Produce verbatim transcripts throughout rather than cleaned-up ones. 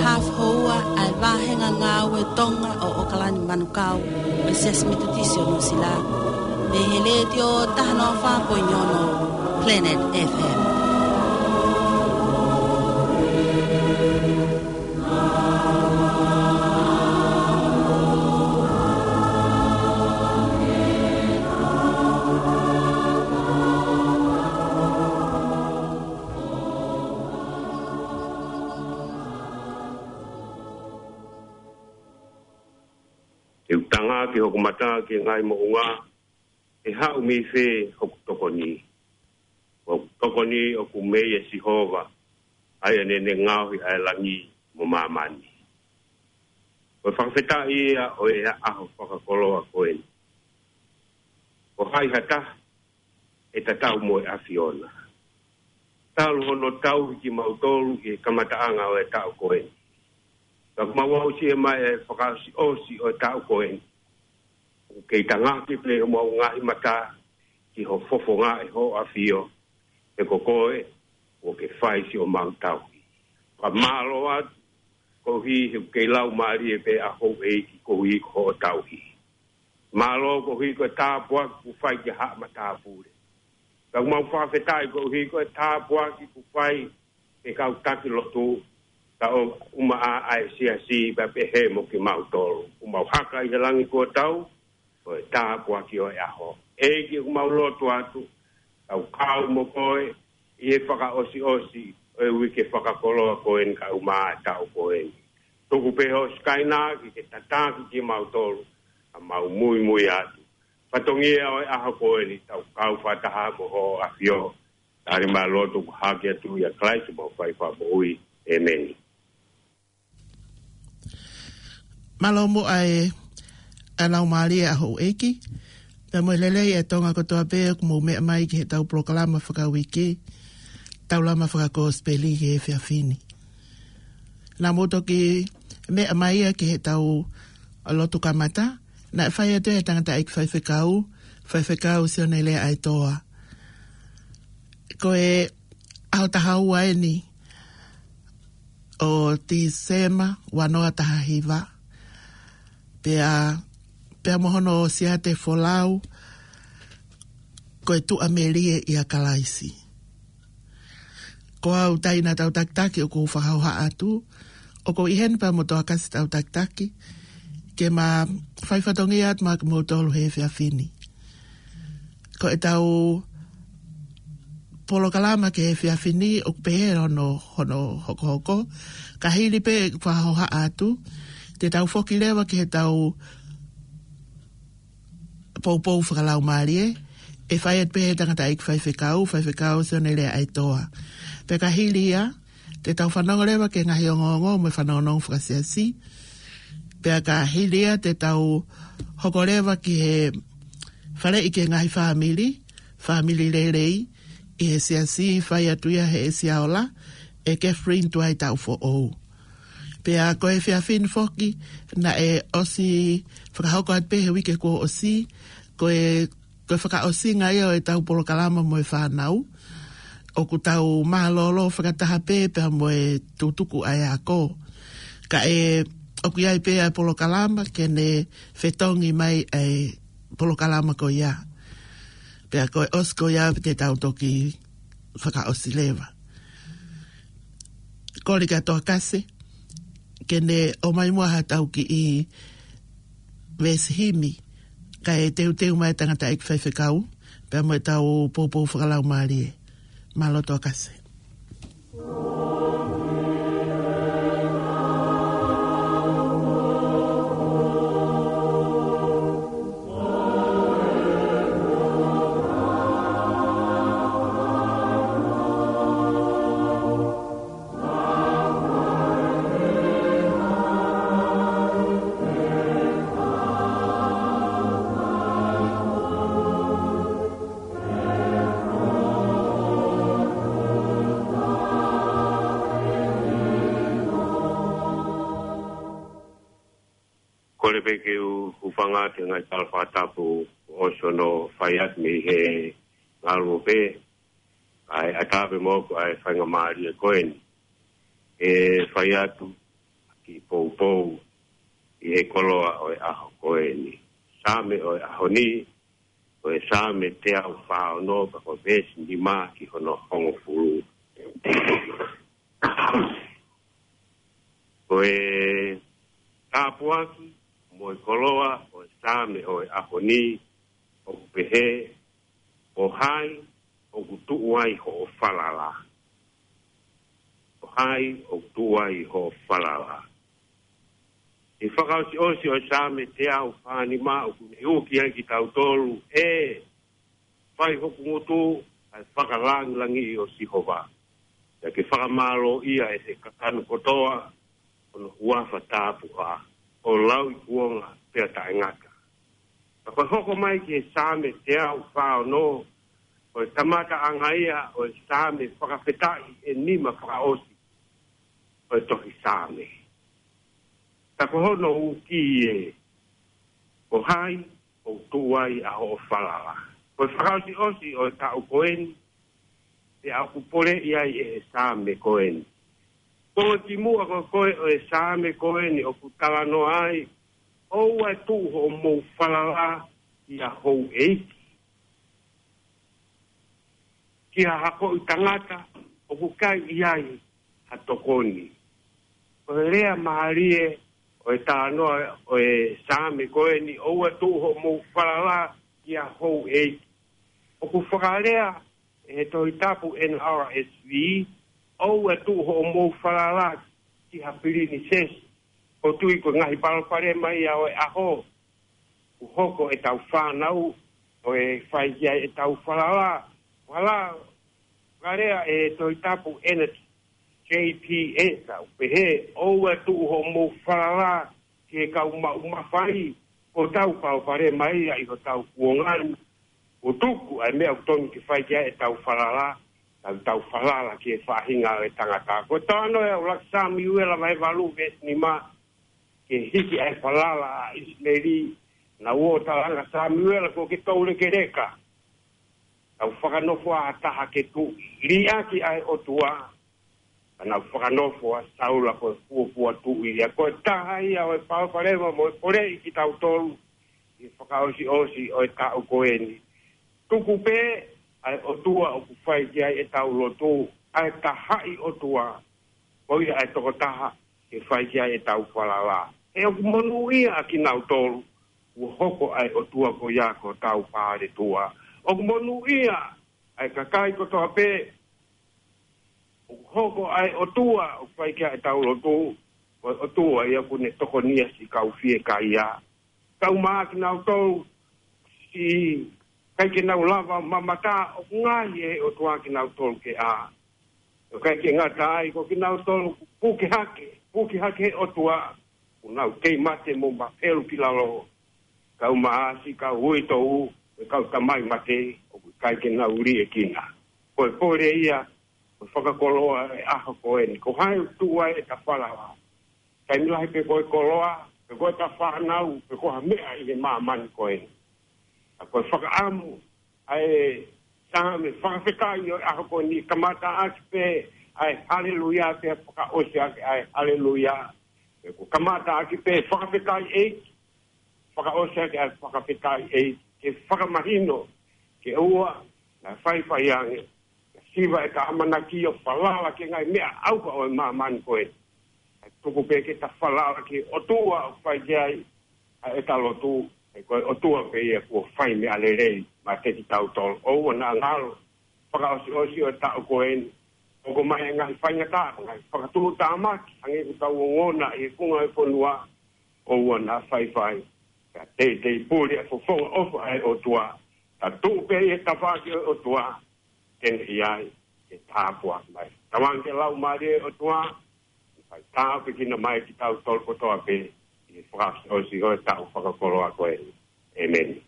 Hafu houa ʻa e vāhenga ngāue Tonga ʻo ʻOkalani Manukau, ʻo e Siasi Metotisi ʻo Nuʻusila. Mei he Letiō taha noa fā poini ono Planet F M. Te u tanga ki hoku mata ki he ngaahi moʻunga, ʻe haʻu mei fē hoku tokoni. Ko hoku tokoni ʻoku mei ʻa Sihova, ʻa ia naʻa ne ngaohi ʻa e langi mo māmani. Ko e fakafetaʻi ia ʻo e ʻaho fakakoloa ko eni. Ko hai ha taha ʻe tatau mo e ʻAfiona. Talu hono tauhi kimautolu ʻi he kamataʻanga ʻo e taʻu ko eni. Ka ʻoku mau aʻusia mai e fakaʻosiʻosi ʻo e taʻu ko eni. ʻOku kei tangaki pē homau ngaahi mata ki ho fofonga ʻe hoʻo ʻAfio, he ko koe ʻoku ke fai siʻomau tauhi. Ka mālō atu koeʻuhi he ʻoku kei laumālie pē ʻa houʻeiki koeʻuhi ko hoʻo tauhi. Mālō koeʻuhi ko e tāpuaki kuo fai ki he haʻa matāpule. Ka ʻoku mau fakafetaʻi koeʻuhi ko e tāpuaki kuo fai ki he kau taki lotu, ka ʻoku maʻa ʻa e siasi pea pehē mo kimautolu. ʻOku mau haka ʻi he langi kuo tau, ko e tāpuaki ʻo e ʻaho. ʻEiki, ʻoku mau lotu atu, tau kau mo koe ʻi he fakaʻosiʻosi ʻo e uike fakakoloa ko eni kae ʻumaʻā e taʻu ko eni. Tuku pē hoʻo Sikaina ke ke tataki kimautolu, ka mau muimui atu. Fatongia ʻo e ʻaho ko eni, tau kau fakataha mo hoʻo ʻAfio. Tali mai lotu ko e hake atu ʻia Kalaisi homau Fakamoʻui. ʻĒmeni. Mālō muʻa e, ʻa e laumālie ʻa houʻeiki. Pea mo e lelei ʻa e Tonga kotoa pē ʻoku mou meʻa mai ki heʻetau polokalama fakauike, Taulama Fakakosipeli ki he efiafi ni. Naʻa mou toki meʻa mai ia ki heʻetau lotu kamata, naʻe fai atu ʻe he tangataʻeiki faifekau, Faifekau Sione Leaʻaetoa. Ko e ʻaho taha ua eni ʻo Tīsema ua noa taha hiva. Pea, pea mo hono siate folau, ko e tuʻamelie ʻia Kalaisi. Ko au Taina Tautakitaki ʻoku ou fakahohaʻa atu, ʻoku ou ʻi heni pea mo Toakasi Tautakitaki, ke ma fai fatongia atu maʻa kimoutolu he efiafi ni. Ko ʻetau polokalama ki he efiafi ni ʻoku pehē hono, hono hokohoko. Ka hili pē ʻeku fakahohaʻa atu, te tau foki leva ki heʻetau poupou fakalaumālie, ʻe fai atu pē ʻe he tangataʻeiki faifekau, Faifekau Sione Leaʻaetoa. Pea ka hili ia, te tau fanongo leva ki he ngaahi ongoongo mo e fanongonongo fakasiasi. Pea ka hili ia te tau hoko leva ki he faleʻi ki he ngaahi fāmili, fāmili lelei, ʻi he siasi fai atu ia he Siaola, ʻe Catherine Tuaitaufoʻou. Pea ko e efiafi ni foki, naʻe ʻosi fakahoko atu pē he uike kuo ʻosi, ko e, ko e fakaʻosinga ia ʻo ʻetau polokalama mo e fānau. ʻOku tau mālōlō fakataha pē pea mo e tutuku ʻa e ako. Ka ʻe, ʻoku ʻi ai pē ʻa e polokalama ke ne fetongi mai ʻa e polokalama ko ia. Pea ko e ʻosi ko ia pē te tau toki fakaʻosi leva. Kole kia Toakasi, ke ne ʻomai muʻa haʻatau kiʻi veesi himi, kae teuteu mai tangataʻeiki faifekau, pea mo ʻetau poupou fakalaumālie. Mālō Toakasi. Kole pē ke u hūfanga ki he ngaahi tala fakatapu ʻosi hono fai atu mei he ngaluope, kae ʻatā pē moʻoku ʻa e faingamālie ko eni. ʻE fai atu, kiʻi poupou ʻi he koloa ʻo e ʻaho ko eni. Saame ʻo e ʻaho ni, ko e Saame teau fā ono, pea ko e veesi nima ki hono hongofulu. Ko e tāpuaki mo e koloa ʻo e Saame ʻo e ʻaho ni, ʻoku pehē, ʻo hai ʻoku tuʻu ai hoʻo falala. ʻO hai ʻoku tuʻu ai hoʻo falala. ʻI he fakaʻosiʻosi ʻo e Saame teau fā nima ʻoku ne ʻuki ai kitautolu, ʻE, fai hoku ngutu ʻa e fakalangilangiʻi ʻo Sihova. Pea ke fakamālōʻia ʻe he kakano kotoa hono huafa tāpuhā, ʻo lauikuonga pea taʻengata. Ka ko e hoko mai ki he Saame teau fā ono, ko e kamataʻanga ia ʻo e Saame fakafetaʻi ʻe nima fakaʻosi ʻo e tohi Saame. Ka ko hono ʻuki ē, ʻo hai ʻoku tuʻu ai ʻa hoʻo falala. Ko e fakaʻosiʻosi ʻo e taʻu ko eni, pea ʻoku poleʻi ai ʻe he Saame ko eni. Ko e kimuʻa ko ē ʻo e Saame ko eni ʻoku talanoa ai, ʻOua ʻe tuʻu hoʻomou falala ki ha houʻeiki, ki ha hakoʻi tangata ʻoku ʻikai ʻi ai ha tokoni. Ko e lea mālie ʻo e talanoa ʻo e Saame ko eni, ʻOua ʻe tuʻu hoʻomou falala ki ha houʻeiki. ʻOku fakalea ʻe he Tohi Tapu N R S V, ʻOua ʻe tuʻu hoʻomou falala ki ha pilinisesi. ʻOku ou tui ko e ngaahi palopalema ia ʻo e ʻaho, ʻoku hoko ʻetau fānau ʻo e fai ki ai ʻetau falala. Falala, fakalea ʻe he Tohi Tapu N J P S, ʻoku pehē, ʻOua ʻe tuʻu hoʻomou falala ki he kau maʻu mafai. Ko ʻetau palopalema ia ʻi hotau kuonga ni, ʻoku tuku ʻa e meʻa ʻoku tonu ke fai ki ai ʻetau falala, tau, tau falala ki he faʻahinga ʻo e tangata. Ko e talanoa ia ʻuluaki Samiuela vahe valu veesi nima, ke hiki ʻa e falala ʻa ʻIsileli, naʻa nau ō ʻo talaange, Samiuela, kuo ke toulekeleka. Tau fakanofo ha taha ke tuʻi. Liʻaki ʻa e ʻOtua, ka naʻa nau fakanofo ʻa Saula ko e fuofua tuʻi. Ia ko e taha ia ʻo e palopalema mo e poleʻi kitautolu ʻi he fakaʻosiʻosi ʻo e taʻu ko eni. Tuku pē ʻa e ʻOtua ʻoku fai ki ai ʻetau lotu, ʻa e tahaʻi ʻOtua, ko ia ʻa e tokotaha ke fai ki ai ʻetau falala. He ʻoku monūʻia ʻa kinautolu kuo hoko ʻa e ʻOtua ko ia ko hotau paletua. ʻOku monūʻia ʻa e kakai kotoa pē ʻoku hoko ʻa e ʻOtua ʻoku fai ki ai ʻetau lotu, ko e ʻOtua ia ʻoku ne tokonia siʻi kau fiekaia. Kaeʻumaʻā kinautolu siʻi ʻikai ke nau lava mamata, ʻoku ngaohi ʻe he ʻOtua kinautolu ke ʻā. ʻIkai ke ngata ai, ko kinautolu ʻoku puke hake, puke hake ʻe he ʻOtua, ʻoku nau kei mate mo mapelu ki lalo. Kaeʻumaʻā siʻi kau uitou, ʻa e kau tamai mate, ʻoku ʻikai ke nau liʻekina. Ko e pole ia ʻo e fakakoloa ʻo e ʻaho ko eni, ko hai ʻoku tuʻu ai ʻeta falala. Taimi lahi pe ko e koloa, pe ko ʻeta fānau, pe ko ha meʻa ʻi he māmani ko eni. Ka ko e fakaʻamu ʻa e Saame fakafetaʻi ʻo e ʻaho ko eni, kamataʻaki pē ʻa e haleluia, pea fakaʻosi ʻaki ʻa e haleluia. Pe ko e kamataʻaki pē fakafetaʻi ʻEiki, fakaʻosi ʻaki ʻa e fakafetaʻi ʻEiki, ke fakamahino ke ʻoua naʻa faifai ange, ka siva ʻeta ʻamanaki ʻo falala ki he ngaahi meʻa ʻauha ʻo e māmani ko eni. Kae tuku pē ke ta falala ki he ʻOtua ʻoku fai ki ai ʻa ʻeta lotu, he ko e ʻOtua pē ia kuo fai meʻa lelei maʻa kitautolu. ʻOua naʻa ngalo, fakaʻosiʻosi ʻo e taʻu ko eni, hoko mai e ngaahi faingataʻa, ngaahi fakatuʻutāmaki, hangē ko ʻetau ongona ʻi he funga ʻo e fonua, ʻoua naʻa faifai. Ka teitei puli ʻa e fofonga ʻofa ʻa e ʻOtua, ka tuʻu pē ʻi he tafaʻaki ʻo e ʻOtua, te ne ʻi ai ke tāpuaki mai. Tauange ki he Laumālie ʻo e ʻOtua, ke fai tāpuekina mai kitautolu kotoa pē, ʻi he fakaʻosiʻosi ʻo e taʻu fakakoloa ko eni. ʻĒmeni.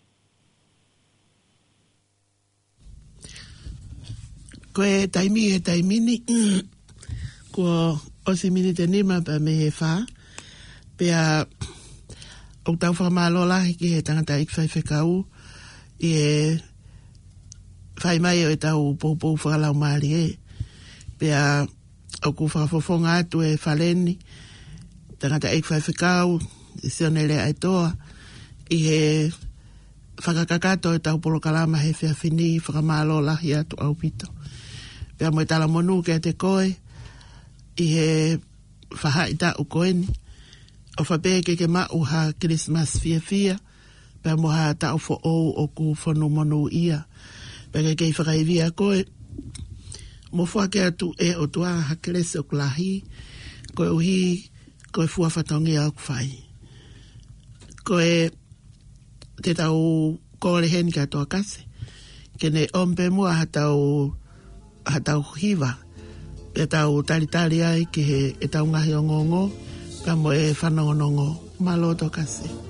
Ko e taimi he taimi ni, kuo ʻosi miniti ʻe nima pea mei he fā. Pea ʻoku tau fakamālō lahi ki he tangataʻeiki faifekau ʻi he fai mai ʻo ʻetau poupou fakalaumālie. Pea ʻoku fakafofonga atu ʻe Faleni tangataʻeiki faifekau, Sione Leaʻaetoa, ʻi he fakakakato ʻetau polokalama he efiafi ni. Fakamālō lahi atu ʻaupito. Pea mo e talamonū kiate koe, ʻi he faʻahitaʻu ko eni, ʻofa pē ke ke maʻu ha Kilisimasi fiefia, pea mo ha taʻu foʻou ʻoku fonu monūʻia. Pea ke kei fakaivia koe, mo foaki atu ʻe ʻOtua ha kelesi ʻoku lahi, koeʻuhi ko e fua fatongia ʻoku fai. Ko e te tau kole heni kia Toa Kasi, ke ne ʻomi pē muʻa ha tau, ha tau hiva, pea tau talitali ai ki he, ʻetau ngaahi ongoongo, pea mo e fanongonongo. Mālō Toa Kasi.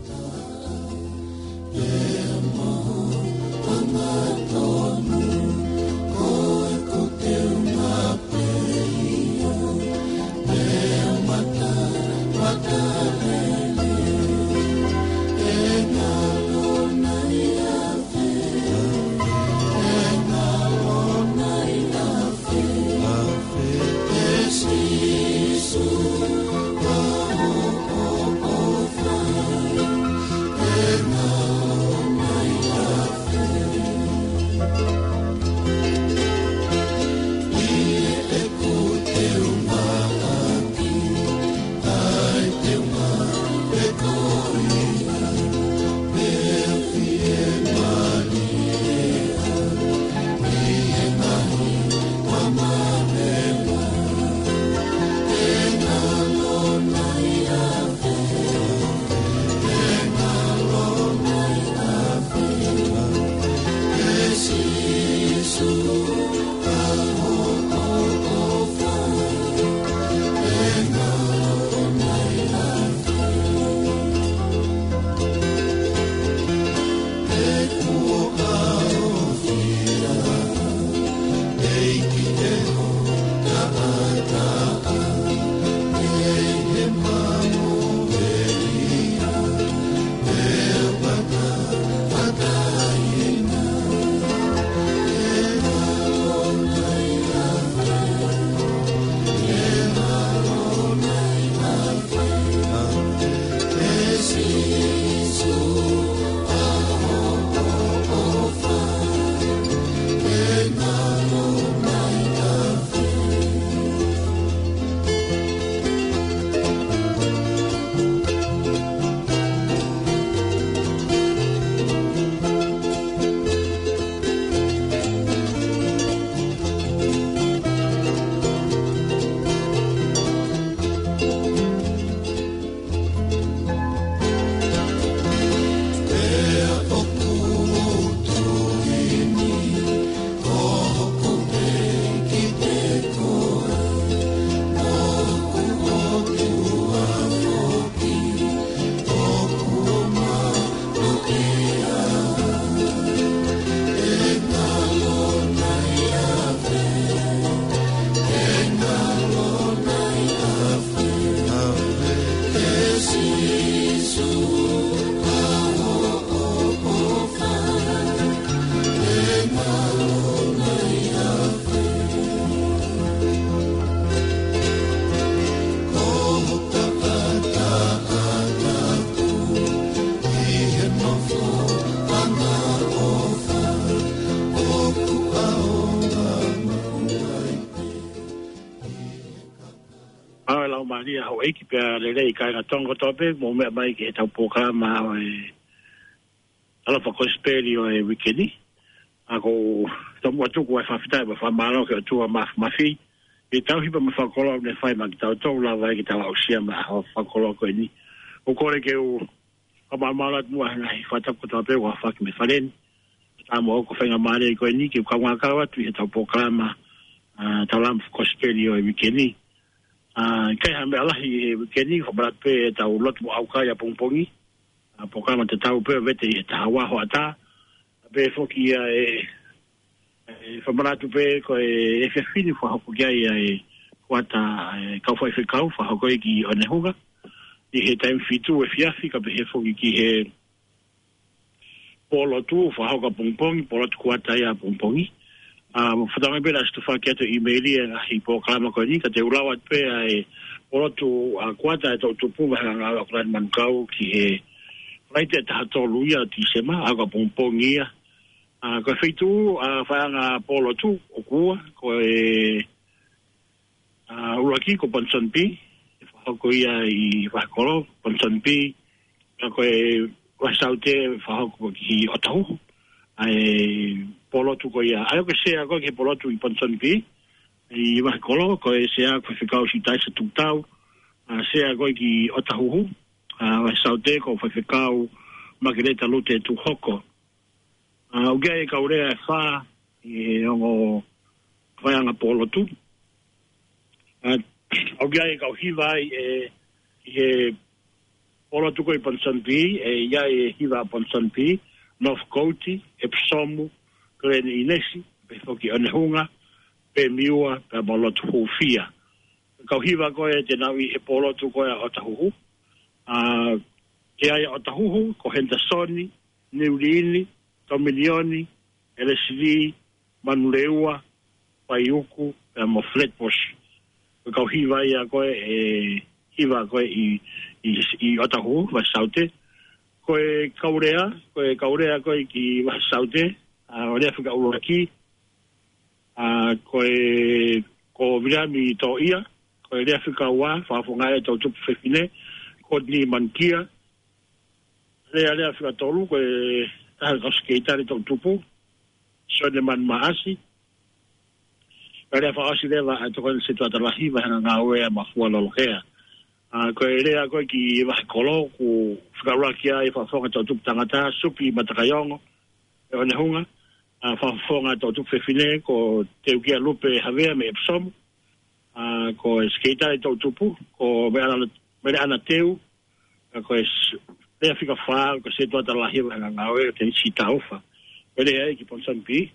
ʻAo e lau mālie houʻeiki pea lelei kāinga Tonga kotoa pē, mou meʻa mai ki heʻetau polokalama ʻo e Talofa Kosipeli ʻo e uike ni. ʻA ko e tomuʻa tuku ai e fakafetaʻi mo e fakamālō ki he ʻOtua Māfimafi, ʻi he tauhi pea mo e fakakoloa ʻoku ne fai maʻa kitautolu, lava ai ke tau aʻusia mai e ʻaho fakakoloa ko eni. ʻOku ou kole ke u fakamālō atu muʻa he ngaahi fakatapu kotoa pē kuo aofaki mei fale ni. Tau mo ʻoku faingamālie ko eni ke u kaungā kau atu ʻi heʻetau polokalama, ʻa, Talofa Kosipeli ʻo e uike ni. ʻA, ʻikai ha meʻa lahi he uike ni, fakamanatu pē ʻetau lotu mo ʻaukai ʻapongipongi. ʻA, polokalama tatau pē ʻo vete ʻi he taha ua hoʻatā. Pea foki ia ʻe, ʻe fakamanatu pē ko e efiafi ni fakahoko ki ai ʻa e kuata ʻa e kau faifekau, fakahoko ia ki ʻOnehunga ʻi he taimi fitu efiafi, kae pehē foki ki he pōlotu, fakahoko ʻapongipongi, pōlotu kuata ia ʻapongipongi. ʻA, fakatauange pē naʻa siʻi tufaki atu e ʻīmeili e ngaahi polokalama ko eni, ka te u lau atu pē ʻa e Pōlotu ʻa Kuata ʻa e Toʻutupu, Vaheʻanga ʻAokalani Manukau, ki he Falaite ʻe taha tolu ia ʻo Tīsema, ʻapongipongi ia. ʻA, ko e feituʻu ʻa e Vaheʻanga Pōlotu ʻoku ua, ko e, ʻa, ʻuluaki ko Ponsonby, ʻe fakahoko ia ʻi Vahekolo, Ponsonby, ʻa ko e Vahesaute ʻe fakahoko ki ʻOtahuhu. ʻA e pōlotu ko ia, ʻa ia ko e sea ko ē ki he pōlotu ʻi Ponsonby, ʻi Vahekolo, ko e sea ko Faifekau Siutaisa Tukutau, ʻa, sea ko ē ki ʻOtahuhu, ʻa, Vahesaute ko Faifekau Makeleta Lute Tuhoko. ʻA, ʻoku ʻi ai e kau lea ʻe fā ʻi he ongo Vaheʻanga Pōlotu. ʻA, ʻoku ʻi ai e kau hiva ai ʻe, ʻi he pōlotu ko ē ʻi Ponsonby, ʻe ʻi ai e hiva ʻa Ponsonby, Northcote, Epsom, Glen Innes, pehē foki ʻOnehunga, Bemiua, pea mo Lotu Hūfia. Kau hiva ko ē te nau ʻi he pōlotu ko ē ʻa ʻOtahuhu. ʻA, ʻi ai ʻa ʻOtahuhu, ko Henderson, Niu Liini, Tominioni, ʻElesili, Manurewa, Paiuku, pea mo Flatbush. Ko e kau hiva ia ko ē, ʻe hiva ko ē ʻi, ʻi, ʻi ʻOtahuhu, Vahesaute. Ko e kau lea, ko e kau lea ko ē ki Vahesaute, ʻa, ʻo e lea fika ʻuluaki, ʻa, ko e, ko Viliami Toʻia, ko e lea fika ua, fakafofonga ʻe he Toʻutupu Fefine, Courtney Manukia, lea, lea fika tolu, ko e taha ʻo e kau sekelitali Toʻutupu, Sione Manu Maʻasi, ko e lea fakaʻosi leva ʻa e Tokoni Setuata Lahi, Vaheʻanga Ngāue ʻa Mafua Lolohea. ʻA, ko e lea ko ē ki Vahekolo, ʻoku fika ʻuluaki ai fakafofonga Toʻutupu Tangata, Supi Matakaiongo, ʻe ʻOnehunga, ʻa, fakafofonga Toʻutupu Fefine, ko Teukia Lupe Havea mei Epsom, ʻa, ko e sekelitali Toʻutupu, ko Meleʻana, Meleʻana Teu, ʻa, ko e s-, lea fika fā, ko Setuata Lahi Vaheʻanga Ngāue, Tenisi Taufa. Ko e lea ia ki Ponsonby.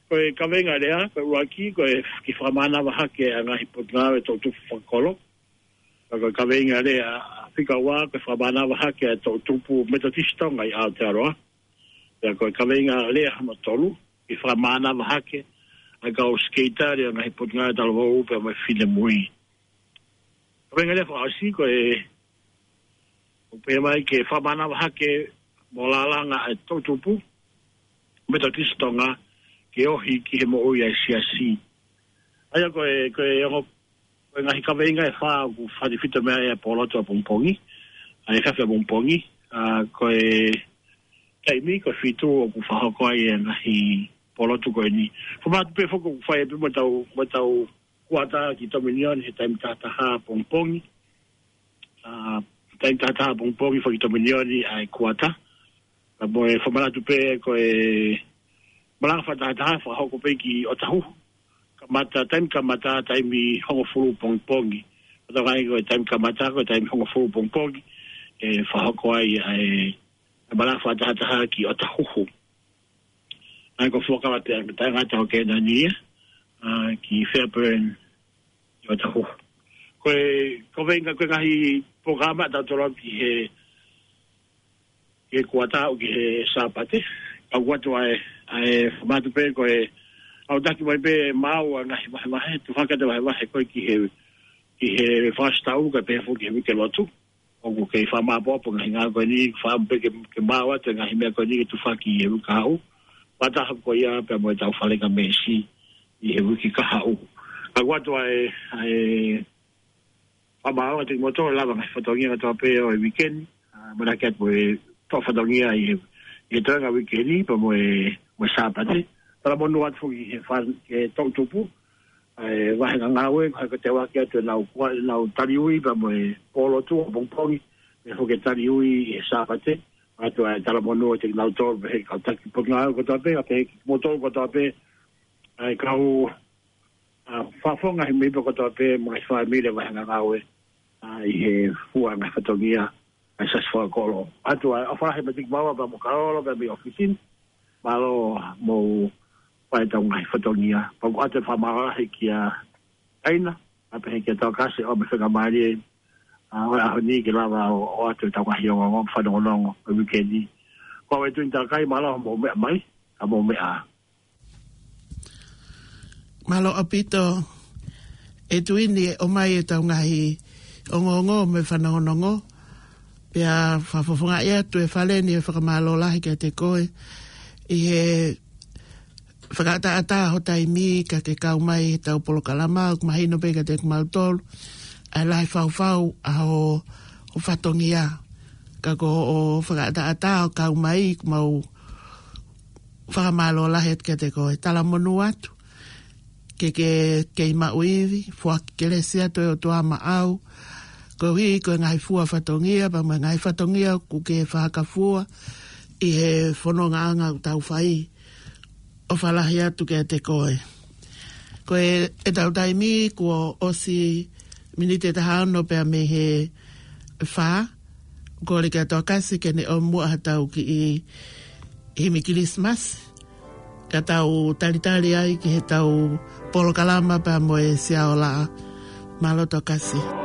Ko e kaveinga lea, ko e ʻuluaki, ko e kiʻi fakamānava hake ʻa e ngaahi potungāue Toʻutupu fakakolo. Ka ko e kaveinga lea fika ua, ko e fakamānava hake ʻa e Toʻutupu Metotisi Tonga ʻi Aotearoa. Pea ko e kaveinga lea hono tolu, kiʻi fakamānava hake ʻa e kau sekelitali ʻo e ngaahi potungāue talavou pea mo e finemui. Kaveinga lea fakaʻosi ko e, ʻoku pehē mai ke fakamānava hake mo lālanga ʻa e Toʻutupu Metotisi Tonga ke ohi ki he moʻui ʻa e siasi. ʻA ia ko e, ko e ongo, ko e ngaahi kaveinga ʻe fā ʻoku fakatefito mei ai ʻa e pōlotu ʻapongipongi, ʻa e efiafi ʻapongipongi, ʻa, ko e taimi ko e fitu ʻoku fakahoko ai e ngaahi pōlotu ko eni. Fakamālō pē foki ʻoku fai pē mo ʻetau, mo ʻetau kuata ki Tominioni he taimi tahataha ʻapongipongi. ʻA, taimi tahataha ʻapongipongi foki Tominioni ʻa e kuata. Ka mo e fakamanatu pē ko e malanga fakatahataha fakahoko pē ki ʻOtahuhu. Kamata, taimi kamata, taimi hongofulu pongipongi. Ko e taimi ko e taimi kamata, ko e taimi hongofulu pongipongi. ʻE fakahoko ai ʻa e, ʻa e malanga fakatahataha ki ʻOtahuhu. ʻA ia ko e fuakava te, te ngata ʻo Kēnani ia, ʻa, ki Fairburn ʻi ʻOtahuhu. Ko e, ko e kaveinga ko e ngaahi polokalama ʻa tautolu ki he, ki he kuata ʻo ki he Sāpate. Ka ʻoku ʻoatu ʻa e, ʻa e fakamanatu pē ko e, ʻoku taki mai pē maʻu ʻa e ngaahi vahevahe, tufaki atu e vahevahe ko ē ki he, ki he Fakasitaulu kae pehē foki ki he Uike Lotu. ʻOku kei fakamāʻopoʻopo e ngaahi ngāue ko eni, fakaʻamu pē ke, ke maʻu atu e ngaahi meʻa ko eni ke tufaki ʻi he uike kahaʻu. Fakataha ko ia pea mo ʻetau falengamesi ʻi he uike kahaʻu. Ka ʻoku ʻoatu ʻa e, ʻa e fakamālō atu kiate kimoutolu ʻi he lava e ngaahi fatongia kotoa pē ʻo e uike ni. ʻA, manako atu mo e toʻo fatongia ʻi he, ʻi he toenga uike ni, pea mo e, mo e Sāpate. Talamonū atu foki ki he fa-, ki he Toʻutupu ʻa e Vaheʻanga Ngāue, ko e hā ko e teuaki atu ʻenau kua-, ʻenau taliui pea mo e pōlotu ʻapongipongi, pea foki e taliui ʻi he Sāpate, ʻoatu ʻa e talamonū kiate kinautolu, pehē ki he kau taki potungāue kotoa pē, kae pehē ki he kimoutolu kotoa pē, ʻa e kau, ʻa, fakafofonga he meʻa kotoa pē, mo e ngaahi fāmili ʻa e Vaheʻanga Ngāue, ʻa, ʻi he fua e ngaahi fatongia ʻa e Siasi Fakakolo. ʻOatu ʻa e ʻofa lahi meiate kimaua pea mo Kaolo pea mei he ʻōfisi ni. Mālō hoʻomou fai ʻetau ngaahi fatongia. Pea ʻoku ʻoatu e fakamālō lahi kia ʻAina, kae pehē kia Tokasi ʻo e faingamālie, ʻa, ʻo e ʻaho ni ke lava ʻo, ʻoatu ʻetau ngaahi ongoongo, fanongonongo ʻo e uike ni. Ko au ʻe Tuini Takai, mālō hoʻomou meʻa mai, ka mou meʻa ā. Mālō ʻaupito ʻe Tuini, ʻomai ʻetau ngaahi ongoongo mo e fanongonongo. Pea fakafofongaʻi atu e fale ni e fakamālō lahi kiate koe ʻi he fakaʻataʻatā ho taimi ka ke kau mai he tau polokalama, ʻoku mahino pē kiate kimautolu ʻa e lahi faufau ʻa ho, ho fatongia. Ka ko hoʻo fakaʻataʻatā ʻo kau mai, ʻoku mau fakamālō lahi atu kiate koe. Talamonū atu ke ke kei maʻu ivi, foaki kelesi atu ʻa e ʻOtua maʻau, koeʻuhi ko e ngaahi fua fatongia, pea mo e ngaahi fatongia ʻoku ke fakafua ʻi he fonongaʻanga ʻoku tau fai. ʻOfa lahi atu kiate koe. Ko e, e tau taimi kuo ʻosi miniti ʻe taha ono pea mei he fā, kole kia Tokasi ke ne ʻomi muʻa ha tau kiʻi himi Kilisimasi, ka tau talitali ai ki he tau polokalama pea mo e Siaola. Mālō Tokasi.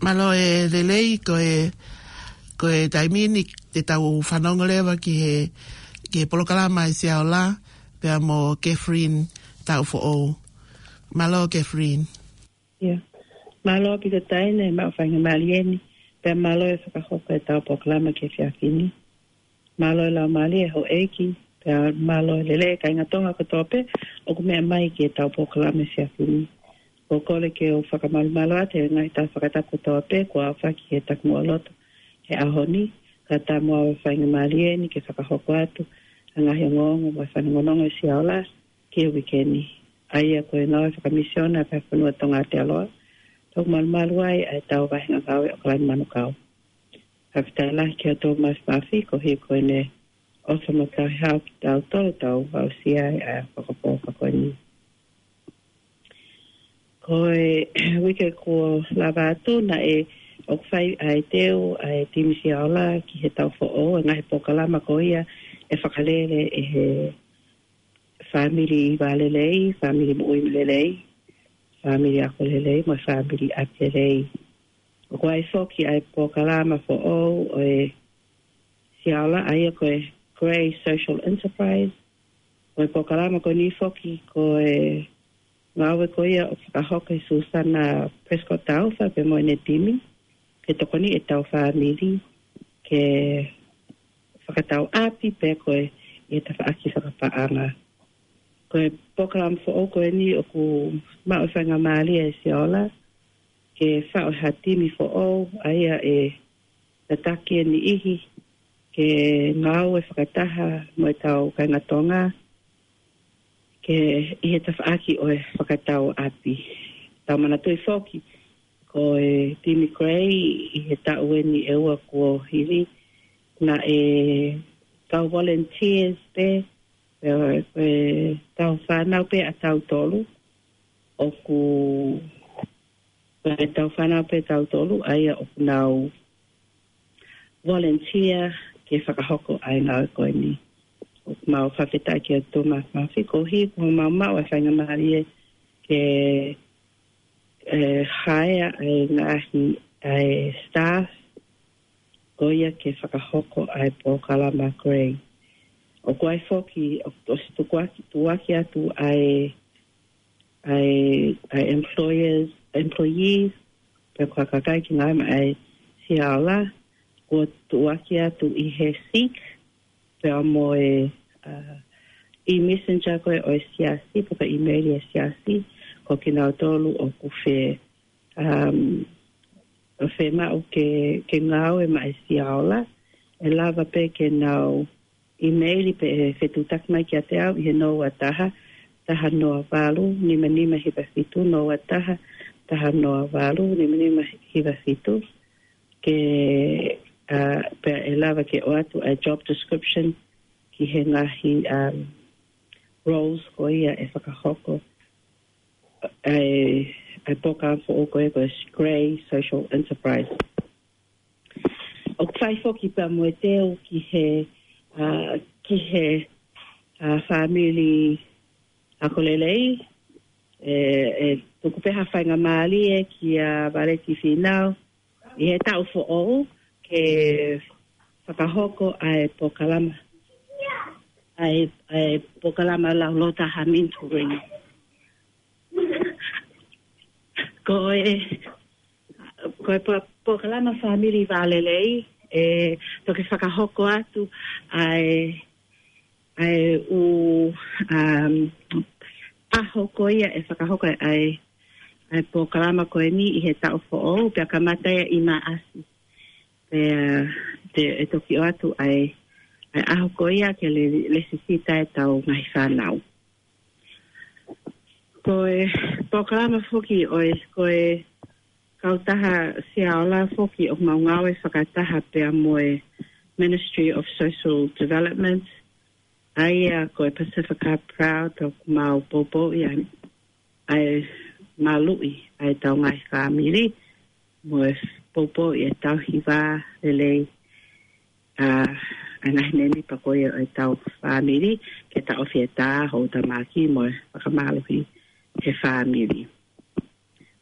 Mālō e lelei, ko e, ko e taimi ni te tau fanongo leva ki he, ki he polokalama ʻa e Siaola, pea mo Catherine Taufoʻou. Mālō Catherine. ʻIa. Mālō ʻaupito Taina, maʻu faingamālie ni, pea mālō e fakahoko e tau polokalama ki he efiafi ni. Mālō e laumālie houʻeiki, Pea mālō e lelei kāinga Tonga kotoa pē ʻoku meʻa mai ki heʻetau polokalama he efiafi ni. ʻOku ou kole ke u fakamalumalu atu he ngaahi taha fakatapu kotoa pē kuo aofaki he takimuʻa lotu he ʻaho ni, kae ʻatā mo au e faingamālie ni ke fakahoko atu ʻa e ngaahi ongoongo mo e fanongonongo ʻa e Siaola ki he uike ni. ʻA ia ko e ngāue fakamisiona ʻa e Fonua Tonga ʻi Aotearoa, ʻoku malumalu ai ʻa ʻetau vahenga ngāue ʻAokalani Manukau. Fakafetaʻi lahi kia Thomas Murphy koeʻuhi ko ʻene ʻofa mo tauhi hao kitautolu ʻo tau aʻusia ai ʻa e fakapō fakoni. Ko e uike kuo lava atu naʻe ʻoku fai ʻa e teu ʻa e timi Siaola ki he taʻu foʻou, ʻa e ngaahi polokalama ko ia ʻe fakalele ʻe he fāmili vālelei, fāmili moʻui lelei, fāmili ako lelei, mo e fāmili ʻapi lelei. ʻOku ʻi ai foki ʻa e polokalama foʻou ʻo e Siaola, ʻa ia ko e Grey Social Enterprise. Ko e polokalama ko eni foki ko e ngāue ko ia ʻoku fakahoko ʻe Susana Prescott Taufa pea mo ʻene timi ke tokoni ʻetau fāmili ke fakatau ʻapi pea ko e ʻi he tafaʻaki fakapaʻanga. Ko e polokalama foʻou ko eni ʻoku maʻu e faingamālie ʻa e Siaola ke faʻu ha timi foʻou, ʻa ia ʻe tataki e niʻihi ke ngāue fakataha mo ʻetau kāinga Tonga ke ʻi he tafaʻaki ʻo e fakatau ʻapi. Tau manatuʻi foki ko e timi Grey ʻi he taʻu eni ʻe ua kuo hili naʻe kau volunteers pē, pea ko ʻetau fānau pē ʻatautolu ʻoku, ko ʻetau fānau pē ʻatautolu ʻa ia ʻoku nau volunteer ke fakahoko ʻa e ngāue ko eni. ʻOku mau fakafetaʻi kia Thomas Murphy koeʻuhi kuo mau maʻu e faingamālie ke, ē, hire ʻa e ngaahi, ʻa e staff ko ia ke fakahoko ʻa e polokalama Grey. ʻOku ʻi ai foki, ʻoku ʻosi tukuaki, tukuaki atu ʻa e, ʻa e, ʻa e employers, employees, pe ko e kakai ke ngāue maʻa e Siaola, kuo tukuaki atu ʻi he Seek, pea mo e, ʻa, e-messenger ko ē ʻo e siasi, pe ko e email ʻa e siasi, ko kinautolu ʻoku fe, um, ʻoku fiemaʻu ke, ke ngāue maʻa e Siaola, ʻe lava pē ke nau email pe ʻe fetuʻutaki mai kiate au ʻi he noa taha, taha noa valu, nima nima hiva fitu, noa taha, taha noa valu, nima nima hiva fitu, ke, ā, pea ʻe lava ke ʻoatu ʻa e job description ki he ngaahi, um, roles ko ia ʻe fakahoko ʻa e, ʻa e polokalama foʻou ko ia ko e Grey Social Enterprise. ʻOku fai foki pea mo e teu ki he, ā, ki he, ā, fāmili ako lelei, ē, ʻe tuku pē ha faingamālie kia Valeti Fīnau ʻi he taʻu foʻou ke fakahoko ʻa e polokalama, ʻa e, ʻa e polokalama lau lota ha mentoring. Ko e, ko e po-, polokalama fāmili vālelei, ʻe toki fakahoko atu ʻa e, ʻa e ʻū, um, ʻaho ko ia ʻe fakahoko ʻa e, ʻa e polokalama ko eni ʻi he taʻu foʻou, pea kamata ia ʻi Maʻasi. Pea te, ʻe toki ʻoatu ʻa e, ʻa e ʻaho ko ia ke le, lesisita ʻetau ngaahi fānau. Ko e polokalama foki ʻo e, ko e kautaha Siaola foki ʻoku mau ngāue fakataha pea mo e Ministry of Social Development, ʻa ia ko e Pacifica Proud, ʻoku mau poupouʻi ʻa e, ʻa e maluʻi ʻa ʻetau ngaahi fāmili, mo e poupouʻi ʻetau hiva lelei, ā, ʻa e ngaahi mēmipa ko ia ʻo ʻetau fāmili, ke taʻofi e tā, houtamaki, mo e fakamālohi he fāmili.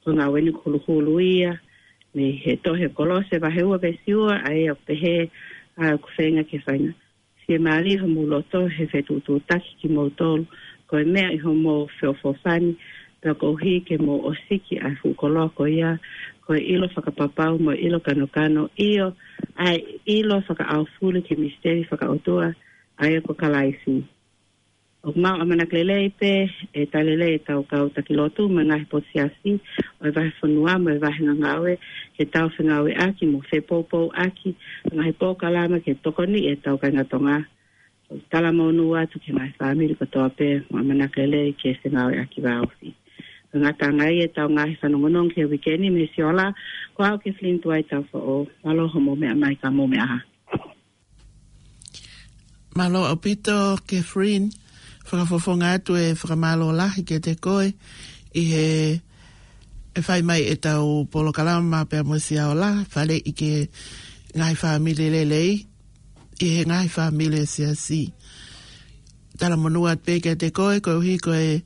Ko e ngāue eni ʻoku huluhulu ia mei he tohi Kolose vahe ua veesi ua, ʻa ia ʻoku pehē, ʻa ʻoku feinga ke fainga fiemālie homou loto he fetuʻutuʻutaki kimoutolu, ko e meʻa ʻi homou feʻofoʻofani, pea koeʻuhi ke mou ʻosiki ʻa e fuʻu koloa ko ia, ko e ʻilo fakapapau mo e ʻilo kanokano, ʻio, ʻa e ʻilo fakaʻaufuli ki he misiteli fakaʻotua, ʻa ia ko Kalaisi. ʻOku mau ʻamanaki lelei pē ʻe tali lelei ʻetau kau taki lotu mo e ngaahi potu siasi ʻo e vahefonua mo e vahenga ngāue ke tau fengāueʻaki mo fepoupouʻaki ʻa e ngaahi polokalama ke tokoniʻi ʻetau kāinga Tonga. ʻOku talamonū atu ki he ngaahi fāmili kotoa pē mo ʻamanaki lelei ke fengāueʻaki vāofi. Ko e ngataʻanga ia ʻetau ngaahi fanongonongo ki he uike ni mei Siola, ko au Kathleen Tuai Tafoʻo, mālō hoʻomou meʻa mai ka mou meʻa ā. Mālō ʻaupito, Kathleen, fakafofonga atu e fakamālō lahi kiate koe ʻi he ʻe fai mai ʻetau polokalama pea mo Siola, faleʻi ki he ngaahi fāmili lelei, ʻi he ngaahi fāmili ʻo e siasi. Talamonū atu pē kiate koe, koeʻuhi ko e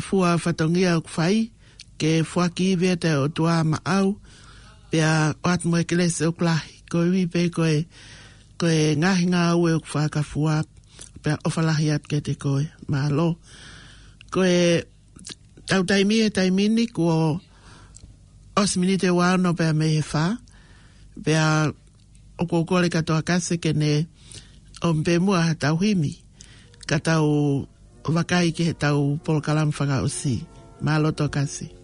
fua fatongia ʻoku fai, ke foaki ivi atu ʻa e ʻOtua maʻau, pea ʻoatu mo e kelesi ʻoku lahi, koeʻuhi pē ko e, ko e ngaahi ngāue ʻoku fakafua, pea ʻofa lahi atu kiate koe, mālō. Ko e tau taimi he taimi ni kuo ʻosi miniti ʻe ua ono pea mei he fā, pea ʻoku ou kole kia Toa Kasi ke ne ʻomi pē muʻa ha tau himi, ka tau vakai ki he tau polokalama fakaʻosi. Mālō Toa Kasi.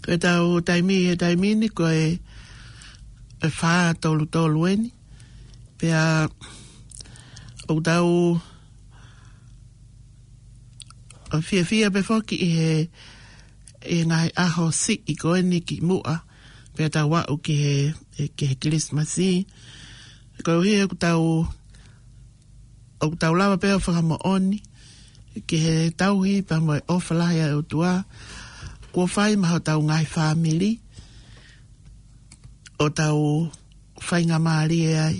Pea tau taimi, he taimi ni ko e, e fā tolu tolu eni. Pea ʻoku tau fiefia pē foki ʻi he, ʻi he ngaahi ʻaho siʻi ko eni ki muʻa. Pea tau aʻu ki he, ki he Kilisimasi. Koeʻuhi ʻoku tau ʻoku tau lava pē ʻo fakamoʻoni ki he tauhi pea mo e ʻofa lahi ʻa e ʻOtua kuo fai maʻa hotau ngaahi fāmili ʻo tau faingamālie ai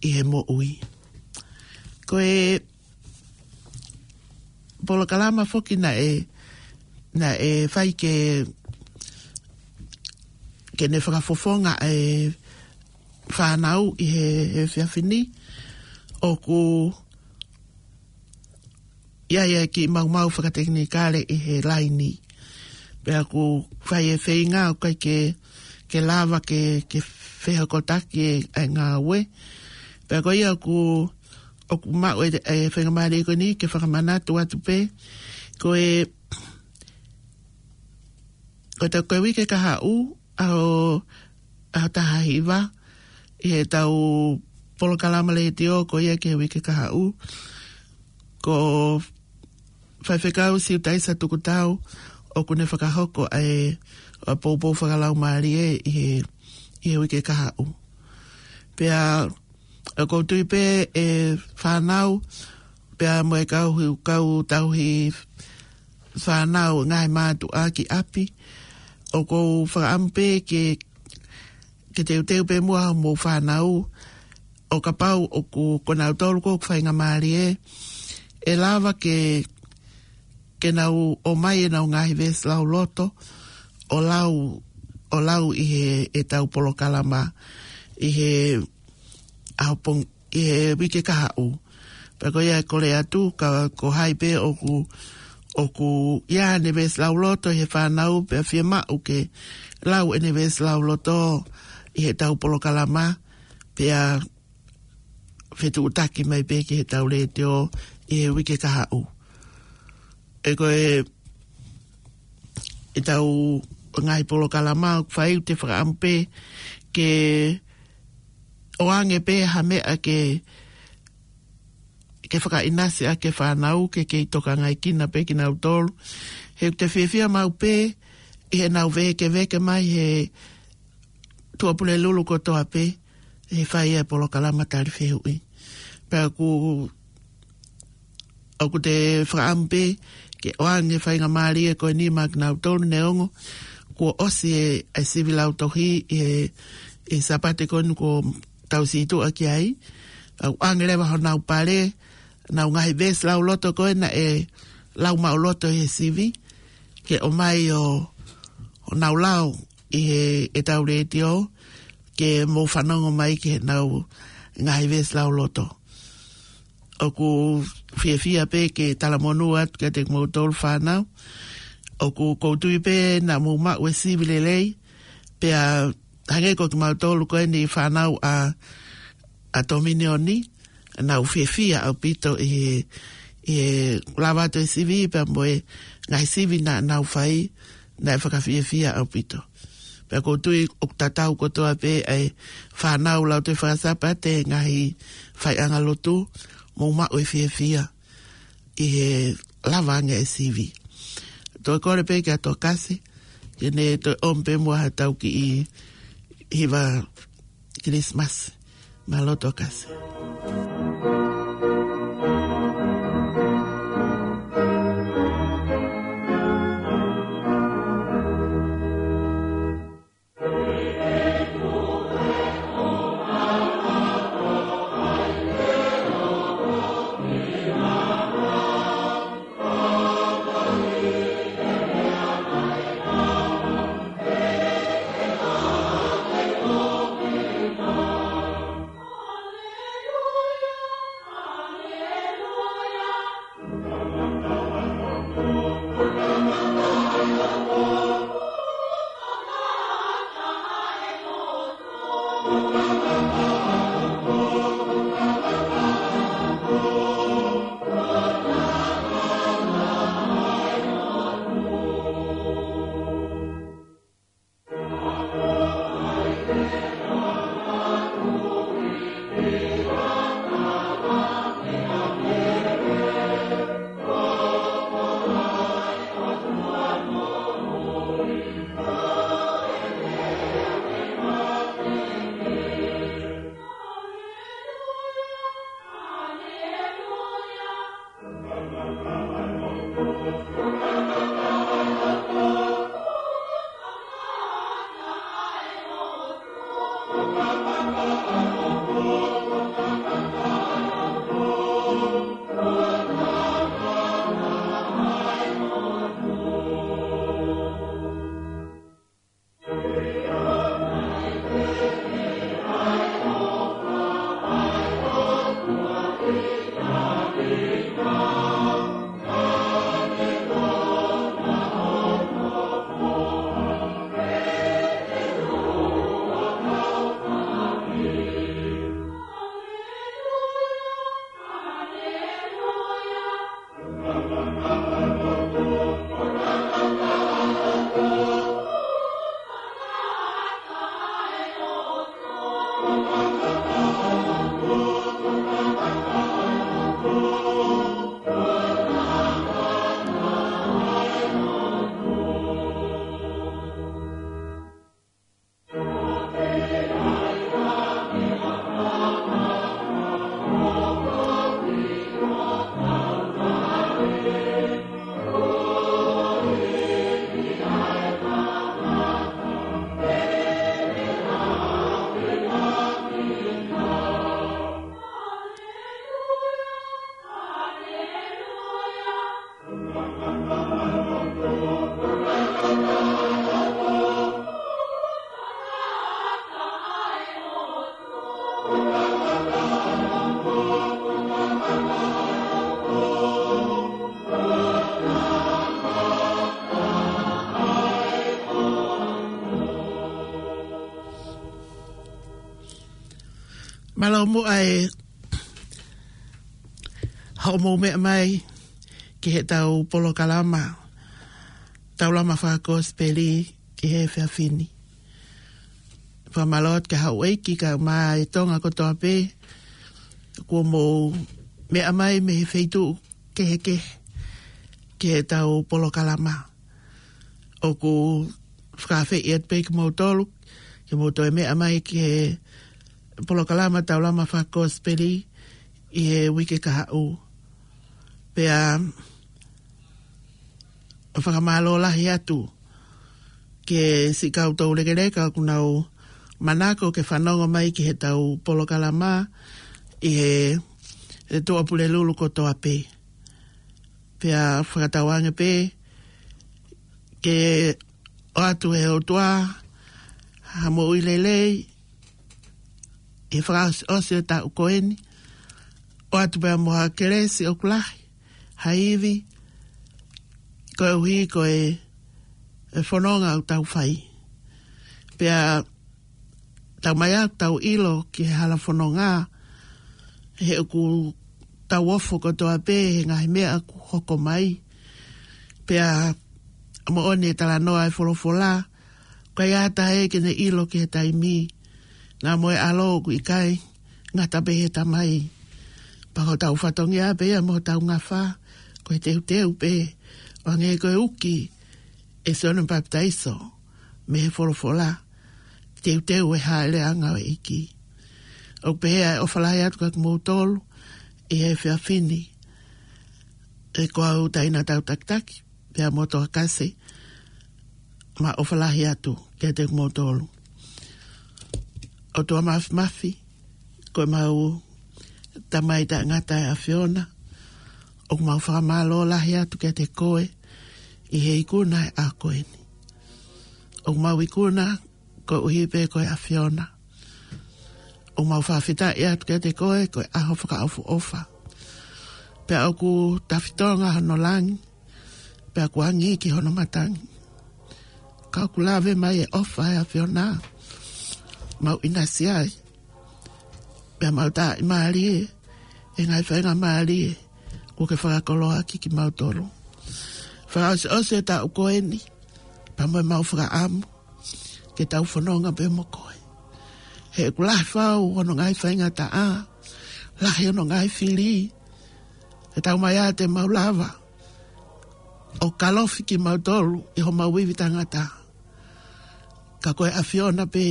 ʻi he moʻui. Ko e polokalama foki naʻe, naʻe fai ke, ke ne fakafofonga e fānau ʻi he, he efiafi ni, ʻoku ʻi ai e kiʻi maumau fakatekinikale ʻi he laini. Pea ʻoku fai e feinga ʻoku ʻikai ke, ke lava ke, ke fehokotaki e, e ngāue. Pea ko ia ʻoku, ʻoku maʻu e, e faingamālie ko eni ke fakamanatu atu pē. Ko e, ko e tau ko e uike kahaʻu, ʻaho, ʻaho taha hiva, ʻi he tau polokalama letiō ko ia ki he uike kahaʻu. Ko Faifekau Siutaisa Tukutau, ʻoku ne fakahoko ʻa e, ʻa e poupou fakalaumālie ʻi he, ʻi he uike kahaʻu. Pea, ʻoku ou tui pē e fānau, pea mo e kau, kau tauhi fānau ngaahi mātuʻa ki ʻapi. ʻOku ou fakaʻamu pē ke, ke teuteu pē muʻa hoʻomou fānau. ʻO kapau ʻoku, ko nautolu ko ʻoku faingamālie, ʻe lava ke, ke nau ʻomai ʻenau ngaahi veesi lauloto, ʻo lau, ʻo lau ʻi he, e tau polokalama, ʻi he ʻaho pong-, ʻi he uike kahaʻu. Pea ko ia ʻe kole atu, ka ko hai pē ʻoku, ʻoku ʻi ai ʻene veesi lauloto ʻi he fānau, pea fiemaʻu ke lau ʻene veesi lauloto ʻi he tau polokalama, pea fetuʻutaki mai pē ki he tau letiō ʻi he uike kahaʻu. ʻE ko e, e tau ngaahi polokalama ʻoku fai, ʻoku te fakaʻamu pē ke ʻoange pē ha meʻa ke, ke fakaʻinasi ʻaki e fānau ke kei tokangaʻi kinautolu pē kinautolu. He ʻoku te fiefia maʻu pē ʻi heʻenau vēkeveke mai he tuʻapulelulu kotoa pē, he fai e polokalama tali fehuʻi. Pea ʻoku, ʻoku te fakaʻamu pē ke ʻoange faingamālie ko eni maʻa kinautolu neongo kuo ʻosi e, e sivi lautohi ʻi he, ʻi he Sāpate ko eni kuo tau sītuʻa ki ai. ʻOange leva honau pale, nau ngaahi veesi lauloto ko ē naʻe lau maʻuloto ʻi he sivi, ke ʻomai ʻo, ʻo nau lau ʻi he, e tau letiō, ke mou fanongo mai ki heʻenau ngaahi veesi lauloto. ʻOku fiefia pē ke talamonū atu kiate kimoutolu fānau. ʻOku ou tui pē naʻa mou maʻu e sivi lelei, pea hangē ko kimautolu ko eni fānau ʻa, ʻa Tominioni, nau fiefia ʻaupito ʻi he, ʻi he lava atu e sivi, pea mo e ngaahi sivi naʻa nau fai, naʻe fakafiefia ʻaupito. Pea ʻoku ou tui ʻoku tatau kotoa pē ʻa e fānau Lautohi Faka-Sāpate, ngaahi faiʻanga lotu, mou maʻu e fiefia ʻi he lava ange e sivi. Toe kole pē kia Tokasi, ke ne toe ʻomi pē muʻa ha tau kiʻi hiva Kilisimasi. Mālō Tokasi. Mālō muʻa e hoʻomou meʻa mai ki heʻetau polokalama Taulama Fakakosipeli ki he efiafi ni. Fakamālō atu ki he houʻeiki kae ʻumaʻā e Tonga kotoa pē kuo mou meʻa mai mei he feituʻu kehekehe ki heʻetau polokalama. ʻOku fakaafeʻi atu pē kimoutolu ke mou toe meʻa mai ki he polokalama Taulama Fakakosipeli ʻi he uike kahaʻu. Pea fakamālō lahi atu ki he siʻi kau toulekeleka ʻoku nau manako ke fanongo mai ki heʻetau polokalama ʻi he, he Tuʻapulelulu kotoa pē. Pea fakatauange pē ke ʻoatu ʻe he ʻOtua ha moʻui lelei ʻi he fakaʻosiʻosi ʻo e taʻu ko eni, ʻoatu pea mo ha kelesi ʻoku lahi ha ivi koeʻuhi ko e, e fononga ʻoku tau fai. Pea taumaiā ʻoku tau ʻilo ki he hala fononga, he ʻoku tau ofo kotoa pē he ngaahi meʻa ʻoku hoko mai. Pea moʻoni e talanoa e folofola, ʻoku ʻikai ʻi ai ha taha ia ke ne ʻilo ki he taimi, naʻa mo e ʻAlo ʻoku ʻikai, ngata pē he Tamai. Pea ko hotau fatongia pē ia mo hotau ngafa, ko e teuteu pē, ʻo hangē ko e uki ʻe Sione Papitaiso mei he folofola, teuteu e hāʻeleʻanga ʻo e ʻEiki. ʻOku pehē ʻa e ʻofa lahi atu kiate kimoutolu ʻi he efiafi ni, ʻe ko au Taina Tautakitaki pea mo Toa Kasi, ma ʻofa lahi atu kiate kimoutolu. ʻOtua Mafimafi, ko e mau Tamai taʻengata ʻa e ʻAfiona, ʻoku mau fakamālō lahi atu kiate koe ʻi he ikuna e ʻaho ko eni. ʻOku mau ikuna koeʻuhi pē ko e ʻAfiona. ʻOku mau fakafetaʻi atu kiate koe ko e ʻaho fakaʻofoʻofa. Pea ʻoku tafitonga hono langi, pea kuo angi ki hono matangi. Ka ʻoku lave mai e ʻofa ʻa e ʻAfiona, mau ʻinasi ai. Pea mau taaʻi mālie e ngaahi faingamālie kuo ke fakakoloa ʻaki kimautolu. Fakaʻosiʻosi e taʻu ko eni, pea mo e mau fakaʻamu ke tau fononga pē mo koe. He ʻoku lahi fau hono ngaahi faingataʻa, lahi hono ngaahi fili, he taumaiā te mau lava ʻo kalofi kimautolu ʻi homau ivi tangata. Ka ko e ʻAfiona pē,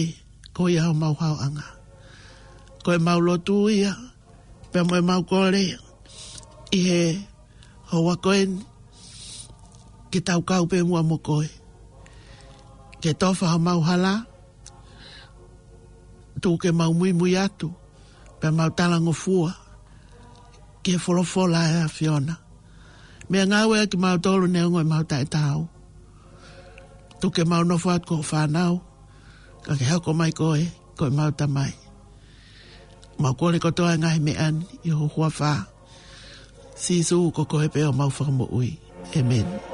ko ia homau haoʻanga. Ko e mau lotu ia, pea mo e mau kole ʻi he ʻo ua ko eni, ke tau kau pē muʻa mo koe. Ke tofa homau hala, tuku ke mau muimui atu, pea mau talangofua, ke folofola ʻa e ʻAfiona. Meʻangāueʻaki kimautolu neongo ʻemau taʻetaau. Tuku ke mau nofo atu ko ho fānau, ka ke hoko mai koe, ko ʻemau Tamai. Mau kole kotoa e ngaahi meʻa ni, ʻi ho huafa. Sīsū, ko koe pē ʻemau Fakamoʻui. ʻĒmeni.